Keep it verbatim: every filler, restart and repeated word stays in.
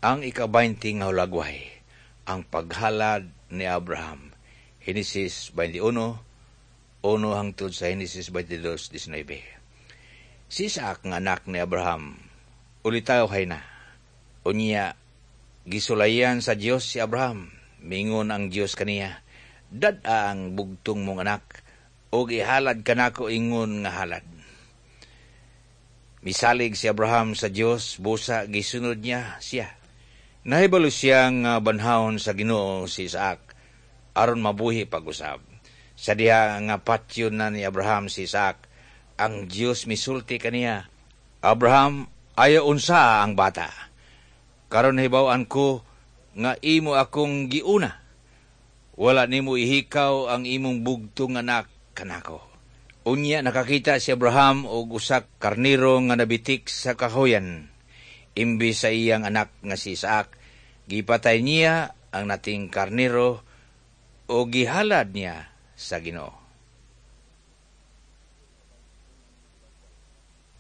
Ang ika-twenty nga hulagway, ang paghalad ni Abraham. Henesis twenty-one, uno hangtod sa Henesis twenty-two, nineteen. Si Isaac nga anak ni Abraham, ulitaw hay na. Unya, gisulayan sa Dios si Abraham. Mingon ang Dios kaniya, "Dad-a ang bugtong mong anak, ug ihalad kanako ingon nga halad." Misalig si Abraham sa Dios, busa gisunod niya siya. Nahibalo siya nga banhawon sa Ginoo si Isaac aron mabuhi pag-usab. Sa diha nga patyon na ni Abraham si Isaac, ang Dios misulti kaniya, "Abraham, ayaw unsa ang bata. Karon nahibaw-an ko nga imo akong giuna. Wala nimo ihikaw ang imong bugtong anak kanako." Unya nakakita si Abraham og usa karnero nga nabitik sa kahoyan. Imbes sa iyang anak nga si Isaac, gipatay niya ang nating karnero o gihalad niya sa Ginoo.